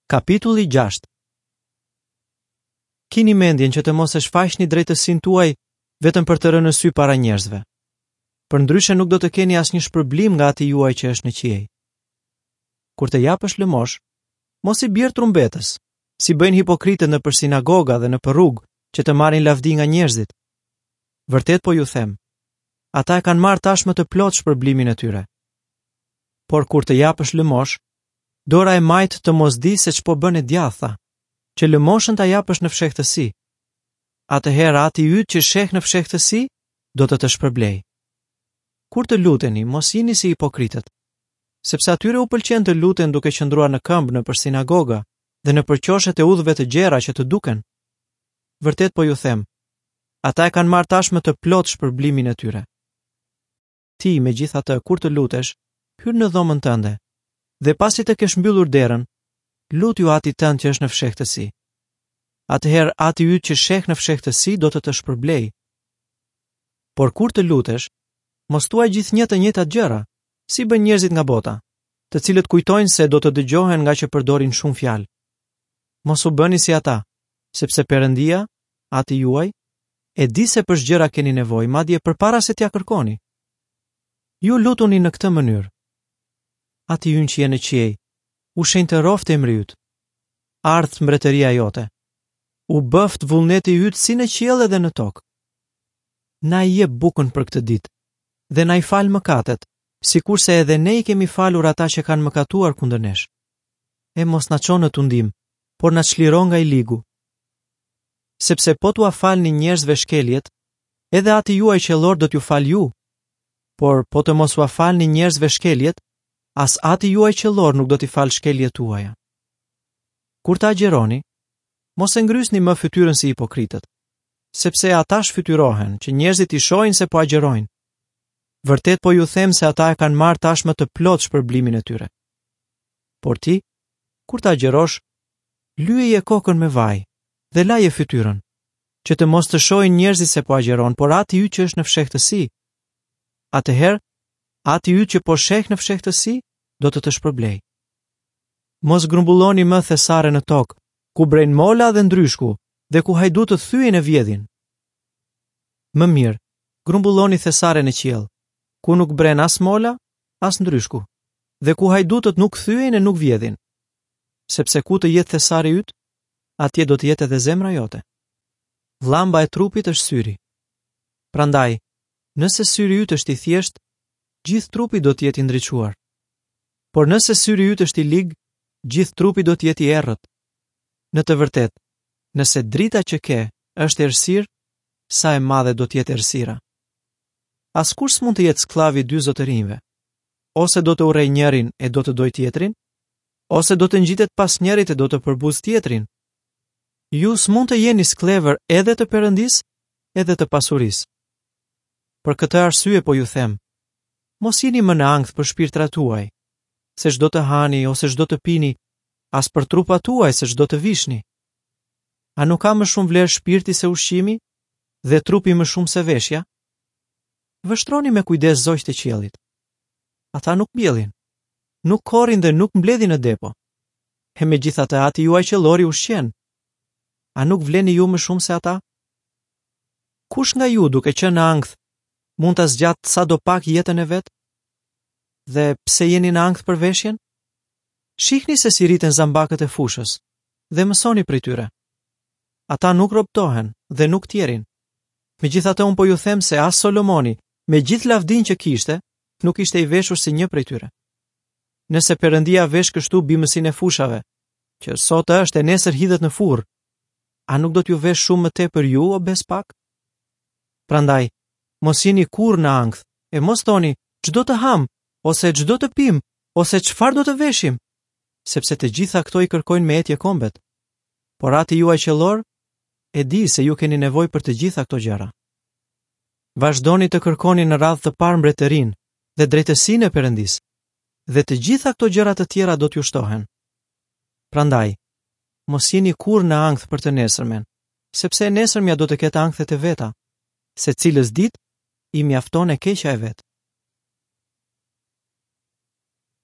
Kapitulli 6 Kini mendjen që të mos e shfaqni drejtësinë tuaj vetëm për të rënë në sy para njerëzve. Përndryshe nuk do të keni asnjë shpërblim nga Ati juaj që është në qiej. Kur të japësh lëmoshë, mos i bjer trumbetës, si bëjnë hipokritët nëpër sinagoga dhe nëpër rrugë që të marrin lavdi nga njerëzit. Vërtet po ju them, ata e kanë marrë tashmë të plotë shpërblimin e tyre. Por kur të japësh lëmoshë, dora e majtë të mos di se ç'po bën e djathta, që lëmoshën ta japësh në fshehtësi. Atëherë Ati yt që sheh në fshehtësi do të të shpërblejë. Kur të luteni, mos jini si hipokritët, sepse atyre u pëlqen të luten duke qëndruar në këmbë nëpër sinagoga dhe nëpër qoshet e udhëve të gjera që të duken. Vërtet po ju them, ata e kanë marrë tashmë të plotë shpërblimin e tyre. Ti, megjithatë, kur të lutesh, hyr në dhomën tënde dhe pasi të kesh mbyllur derën, lutju Atit tënd që është në fshehtësi. Atëherë Ati yt që sheh në fshehtësi do të të shpërblejë. Por kur të lutesh, mos thuaj gjithnjë të njëjtat gjëra, si bëjnë njerëzit nga bota, të cilët kujtojnë se do të dëgjohen ngaqë përdorin shumë fjalë. Mos u bëni si ata, sepse Perëndia, Ati juaj, e di se për ç'gjëra keni nevojë, madje përpara se t'ia kërkoni. Ju lutuni në këtë mënyrë. Ati ynë që je në qiej, u shenjtëroftë emri yt. Ardhtë mbretëria jote. U bëftë vullneti yt si në qiell edhe në tokë. Na e jep bukën për këtë ditë dhe na i fal mëkatet, sikurse edhe ne i kemi falur ata që kanë mëkatuar kundër nesh. E mos na ço në tundim, por na çliro nga i ligu. Sepse po t'ua falni njerëzve shkeljet, edhe Ati juaj qiellor do t'ju falë ju. Por po të mos ua falni njerëzve shkeljet, as Ati juaj qiellor nuk do t'i falë shkeljet tuaja. Kur të agjëroni, mos e ngrysni më fytyrën si hipokritët, sepse ata shfytyrohen që njerëzit t'i shohin se po agjërojnë. Vërtet po ju them se ata e kanë marrë tashmë të plotë shpërblimin e tyre. Por ti, kur të agjërosh, lyeje kokën me vaj dhe laje fytyrën, që të mos të shohin njerëzit se po agjëron, por Ati yt që është në fshehtësi. Atëherë, Ati yt që po sheh në fshehtësi, do të të shpërblejë. Mos grumbulloni më thesare në tokë, ku brejnë mola dhe ndryshku, dhe ku hajdutët thyejnë e vjedhin. Më mirë, grumbulloni thesare në qiell, ku nuk bren as mola, as ndryshku, dhe ku hajdutët nuk thyejnë e nuk vjedhin. Sepse ku të jetë thesari yt, atje do të jetë edhe zemra jote. Llamba e trupit është syri. Prandaj, nëse syri yt është i thjeshtë, gjithë trupi do të jetë i ndriçuar. Por nëse syri yt është i lig, gjithë trupi do të jetë i errët. Në të vërtetë, nëse drita që ke është errësirë, sa e madhe do të jetë errësira. Askush s'mund të jetë skllav i dy zotërinjve. Ose do të urrejë njërin e do të dojë tjetrin, ose do të ngjitet pas njërit e do të përbuzë tjetrin. Ju s'mund të jeni skllevër edhe të Perëndisë, edhe të pasurisë. Për këtë arsye po ju them, mos jini më në ankth për shpirtrat tuaj, se ç'do të hani ose ç'do të pini, as për trupat tuaj se ç'do të vishni. A nuk ka më shumë vlerë shpirti se ushqimi dhe trupi më shumë se veshja? Vështroni me kujdes zogjtë e qiellit. Ata nuk mbjellin, nuk korrin dhe nuk mbledhin në depo. E megjithatë Ati juaj qiellor i ushqen. A nuk vleni ju më shumë se ata? Kush nga ju duke qenë në ankth mund ta zgjatë sadopak jetën e vet? Dhe pse jeni në ankth për veshjen? Shihni se si rriten zambakët e fushës dhe mësoni prej tyre. Ata nuk robtohen dhe nuk tjerrin. Megjithatë unë po ju them se as Solomoni, me gjithë lavdinë që kishte, nuk ishte i veshur si një prej tyre. Nëse Perëndia vesh kështu bimësinë e fushave, që sot është e nesër hidhet në furrë, a nuk do t'ju veshë shumë më tepër ju, o besëpak? Prandaj, mos jini kurrë në ankth, e mos thoni, ç'do të hamë, ose ç'do të pimë, ose çfarë do të veshim, sepse të gjitha këto i kërkojnë me etje kombet. Por Ati juaj qiellor e di se ju keni nevojë për të gjitha këto gjëra. Vazhdoni të kërkoni në radhë të parë mbretërinë dhe drejtësinë e Perëndisë, dhe të gjitha këto gjëra të tjera do t'ju shtohen. Prandaj, mos jini kurrë në ankth për të nesërmen, sepse e nesërmja do të ketë ankthet e veta. Secilës ditë i mjafton e keqja e vet.